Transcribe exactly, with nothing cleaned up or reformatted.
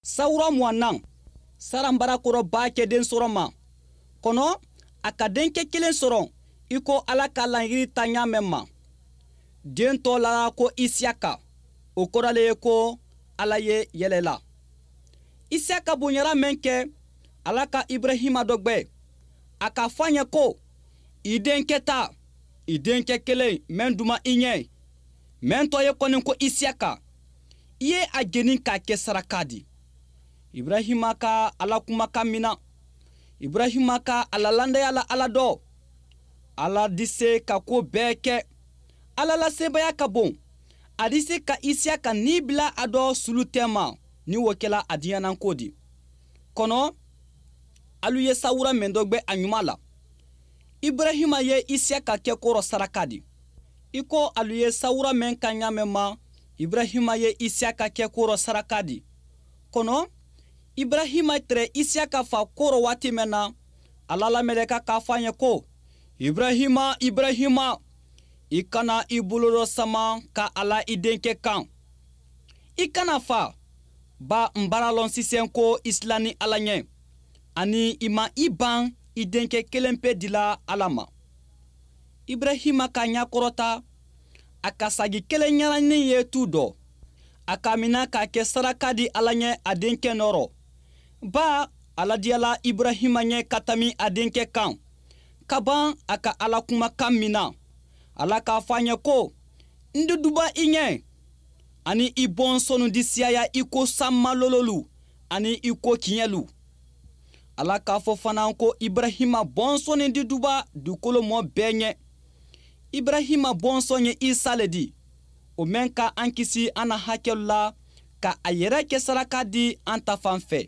Sawura muwannan, Saran bara kɔrɔ b'a kɛ den sɔrɔ ma. Kɔnɔ a ka denkɛ kelen sɔrɔ i ko Ala ka laɲini ta ɲa mɛn ma. Den tɔ la ko Isiyaka, o kɔrɔ le ye ko Ala ye yɛlɛla. Isiyaka bonyara mɛn kɛ, Ala ka Ibrahima dɔ gbɛ. A k'a fɔ a ɲɛ ko: i denkɛ ta, i denkɛ kelen mɛn duma i ɲɛ, mɛn tɔ ye kɔni ko Isiyaka, i ye a jeni k'a kɛ saraka di. Ibrahima ka Ala kumakan mina. Ibrahima ka a la landaya la Ala dɔ. Ala di se ka ko bɛɛ kɛ. Ala la sebaya ka bon. A di se ka Isiyaka ni bila a dɔ sulu tɛma ni o kɛla a diyananko di. Kɔnɔ alu ye sawura mɛn dɔ gbɛ a ɲuman la. Ibrahima ye Isiyaka kɛ kɔrɔ saraka di. I ko alu ye sawura mɛn ka ɲa mɛn ma, Ibrahima ye Isiyaka kɛ kɔrɔ saraka di. Kɔnɔ Ibrahima tɛrɛ Isiyaka fa kɔrɔ waati mɛn na, Ala la mɛlɛka k'a fɔ a ɲɛ ko: Ibrahima, Ibrahima, i kana i bolo dɔ sama ka a la i denkɛ kan. I kana fa, ba n bara lɔn sisan ko i silanni Ala ɲɛ, ani i ma i ban i denkɛ kelen pe dila Ala ma. Ibrahima ka ɲɛ kɔrɔta, a ka sagi kelen ɲɛnanin ye tu dɔ. A ka mina k'a kɛ saraka di Ala ɲɛ a denkɛ nɔrɔ. Ba Ala diyala Ibrahima ɲɛ ka tami a denkɛ kan. Kaban a ka Ala kumakan mina. Ala k'a fɔ a ɲɛ ko: n di duba i ɲɛ, ani i bɔnsɔnnu di siyaya i ko sanmalololu ani i ko kiɲɛlu. Ala k'a fɔ fana ko Ibrahima bɔnsɔnni di duba dugukolo mɔ bɛɛ ɲɛ. Ibrahima bɔnsɔn ye Isa le di, o mɛn ka an kisi an na hakɛlu la, ka a yɛrɛ kɛ saraka di an ta fan fɛ.